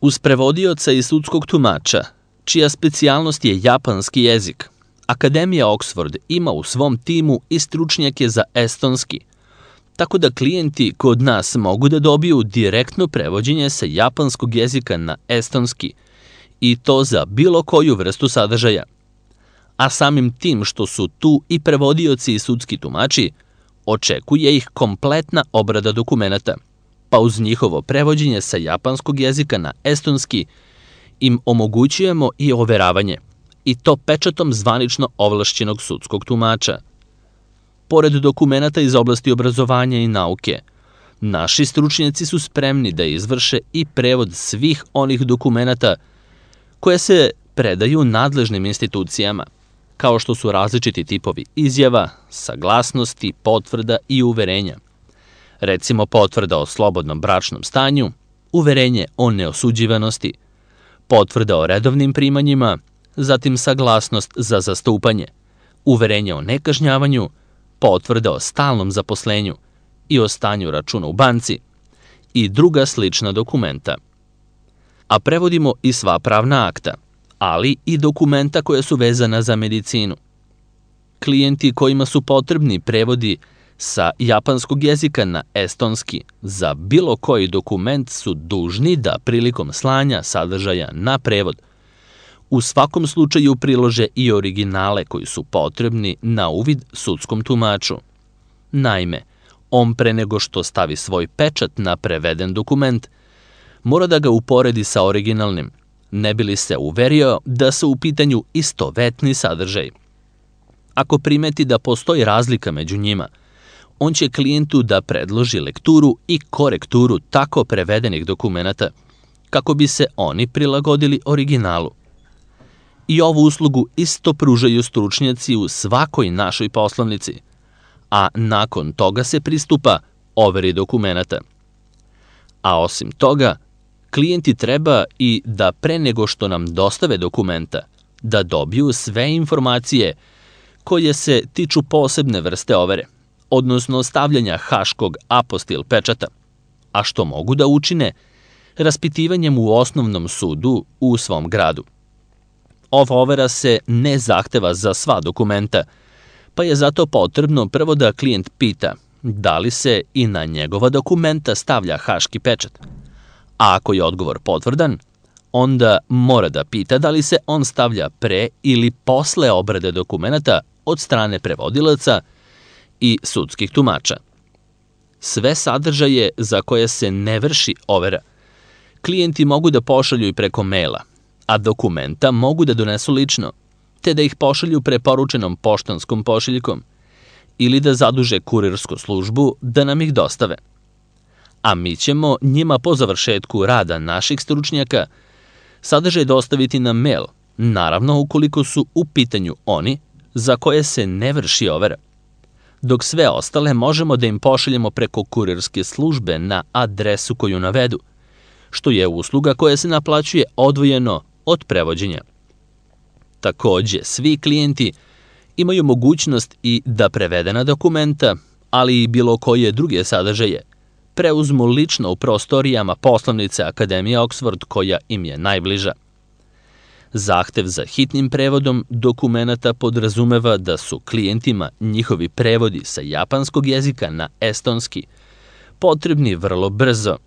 Uz prevodioca i sudskog tumača, čija specijalnost je japanski jezik, Akademija Oxford ima u svom timu i stručnjake za estonski, tako da klijenti kod nas mogu da dobiju direktno prevođenje sa japanskog jezika na estonski i to za bilo koju vrstu sadržaja. A samim tim što su tu i prevodioci i sudski tumači, očekuje ih kompletna obrada dokumenata, pa uz njihovo prevođenje sa japanskog jezika na estonski im omogućujemo i overavanje, i to pečatom zvanično ovlašćenog sudskog tumača. Pored dokumenata iz oblasti obrazovanja i nauke, naši stručnjaci su spremni da izvrše i prevod svih onih dokumenata koje se predaju nadležnim institucijama, kao što su različiti tipovi izjava, saglasnosti, potvrda i uverenja. Recimo potvrda o slobodnom bračnom stanju, uverenje o neosuđivanosti, potvrda o redovnim primanjima, zatim saglasnost za zastupanje, uverenje o nekažnjavanju, potvrda o stalnom zaposlenju i o stanju računa u banci i druga slična dokumenta. A prevodimo i sva pravna akta, ali i dokumenta koja su vezana za medicinu. Klijenti kojima su potrebni prevodi sa japanskog jezika na estonski za bilo koji dokument su dužni da prilikom slanja sadržaja na prevod u svakom slučaju prilože i originale koji su potrebni na uvid sudskom tumaču. Naime, on pre nego što stavi svoj pečat na preveden dokument, mora da ga uporedi sa originalnim, ne bi li se uverio da su u pitanju istovetni sadržaj. Ako primeti da postoji razlika među njima, on će klijentu da predloži lekturu i korekturu tako prevedenih dokumenata, kako bi se oni prilagodili originalu. I ovu uslugu isto pružaju stručnjaci u svakoj našoj poslovnici, a nakon toga se pristupa overi dokumenata. A osim toga, klijenti treba i da pre nego što nam dostave dokumenta, da dobiju sve informacije koje se tiču posebne vrste overe, odnosno stavljanja haškog apostil pečata, a što mogu da učine raspitivanjem u osnovnom sudu u svom gradu. Ova overa se ne zahteva za sva dokumenta, pa je zato potrebno prvo da klijent pita da li se i na njegova dokumenta stavlja haški pečat. A ako je odgovor potvrdan, onda mora da pita da li se on stavlja pre ili posle obrade dokumenata od strane prevodilaca i sudskih tumača. Sve sadržaje za koje se ne vrši overa, klijenti mogu da pošalju i preko maila, a dokumenta mogu da donesu lično, te da ih pošalju preporučenom poštanskom pošiljkom ili da zaduže kurirsku službu da nam ih dostave. A mi ćemo njima po završetku rada naših stručnjaka sadržaj dostaviti na mail, naravno ukoliko su u pitanju oni za koje se ne vrši overa, dok sve ostale možemo da im pošaljemo preko kurirske službe na adresu koju navedu, što je usluga koja se naplaćuje odvojeno od prevođenja. Takođe, svi klijenti imaju mogućnost i da prevedena dokumenta, ali i bilo koje druge sadržaje, preuzmu lično u prostorijama poslovnice Akademije Oxford koja im je najbliža. Zahtev za hitnim prevodom dokumenata podrazumeva da su klijentima njihovi prevodi sa japanskog jezika na estonski potrebni vrlo brzo,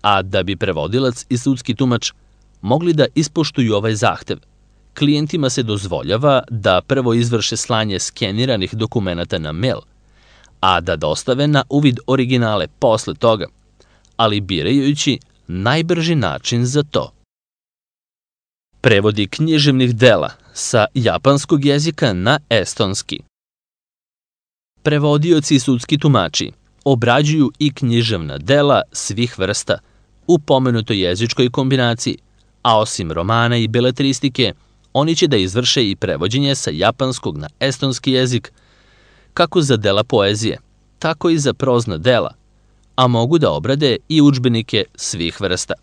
a da bi prevodilac i sudski tumač mogli da ispoštuju ovaj zahtev, klijentima se dozvoljava da prvo izvrše slanje skeniranih dokumenata na mail, a da dostave na uvid originale posle toga, ali birajući najbrži način za to. Prevodi književnih dela sa japanskog jezika na estonski. Prevodioci i sudski tumači obrađuju i književna dela svih vrsta u pomenutoj jezičkoj kombinaciji, a osim romana i beletristike, oni će da izvrše i prevođenje sa japanskog na estonski jezik, kako za dela poezije, tako i za prozna dela, a mogu da obrade i udžbenike svih vrsta.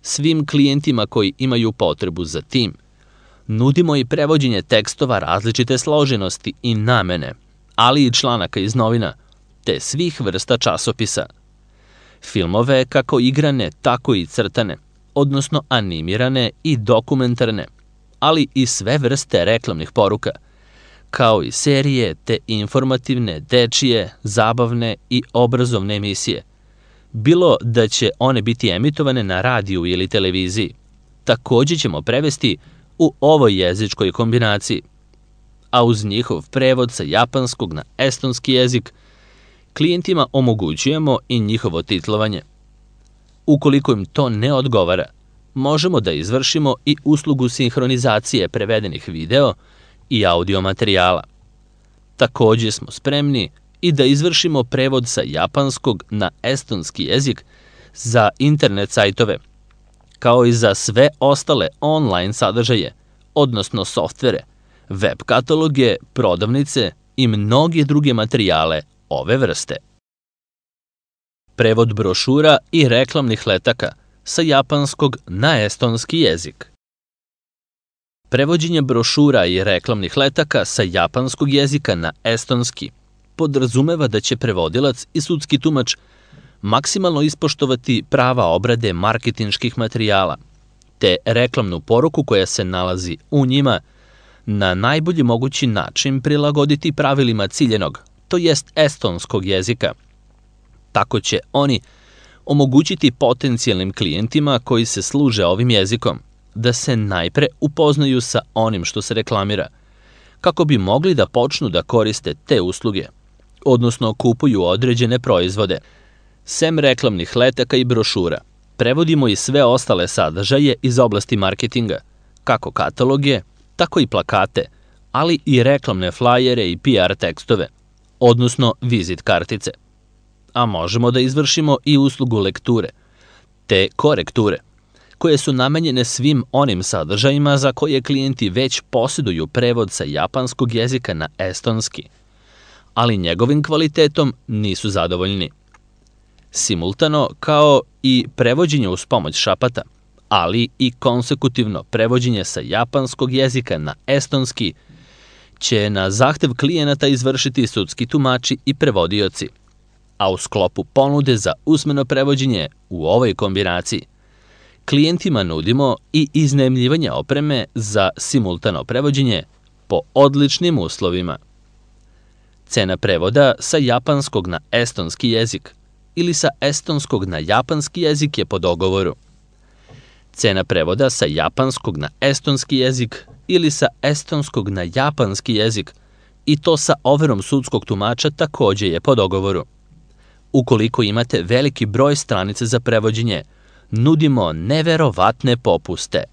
Svim klijentima koji imaju potrebu za tim, nudimo i prevođenje tekstova različite složenosti i namene, ali i članaka iz novina, te svih vrsta časopisa. Filmove kako igrane, tako i crtane, odnosno animirane i dokumentarne, ali i sve vrste reklamnih poruka, kao i serije te informativne, dečije, zabavne i obrazovne emisije. Bilo da će one biti emitovane na radiju ili televiziji, takođe ćemo prevesti u ovoj jezičkoj kombinaciji, a uz njihov prevod sa japanskog na estonski jezik klijentima omogućujemo i njihovo titlovanje. Ukoliko im to ne odgovara, možemo da izvršimo i uslugu sinhronizacije prevedenih video i audio materijala. Takođe smo spremni i da izvršimo prevod sa japanskog na estonski jezik za internet sajtove, kao i za sve ostale online sadržaje, odnosno softvere, web kataloge, prodavnice i mnoge druge materijale ove vrste. Prevod brošura i reklamnih letaka sa japanskog na estonski jezik. Prevođenje brošura i reklamnih letaka sa japanskog jezika na estonski podrazumeva da će prevodilac i sudski tumač maksimalno ispoštovati prava obrade marketinških materijala, te reklamnu poruku koja se nalazi u njima na najbolji mogući način prilagoditi pravilima ciljenog, to jest estonskog jezika. Tako će oni omogućiti potencijalnim klijentima koji se služe ovim jezikom da se najpre upoznaju sa onim što se reklamira, kako bi mogli da počnu da koriste te usluge, odnosno kupuju određene proizvode. Sem reklamnih letaka i brošura, prevodimo i sve ostale sadržaje iz oblasti marketinga, kako kataloge, tako i plakate, ali i reklamne flajere i PR tekstove, odnosno vizit kartice. A možemo da izvršimo i uslugu lekture, te korekture, koje su namenjene svim onim sadržajima za koje klijenti već posjeduju prevod sa japanskog jezika na estonski, ali njegovim kvalitetom nisu zadovoljni. Simultano, kao i prevođenje uz pomoć šapata, ali i konsekutivno prevođenje sa japanskog jezika na estonski, će na zahtev klijenata izvršiti sudski tumači i prevodioci, a u sklopu ponude za usmeno prevođenje u ovoj kombinaciji klijentima nudimo i iznajmljivanje opreme za simultano prevođenje po odličnim uslovima. Cena prevoda sa japanskog na estonski jezik ili sa estonskog na japanski jezik je po dogovoru. Cena prevoda sa japanskog na estonski jezik ili sa estonskog na japanski jezik i to sa overom sudskog tumača takođe je po dogovoru. Ukoliko imate veliki broj stranica za prevođenje, nudimo neverovatne popuste.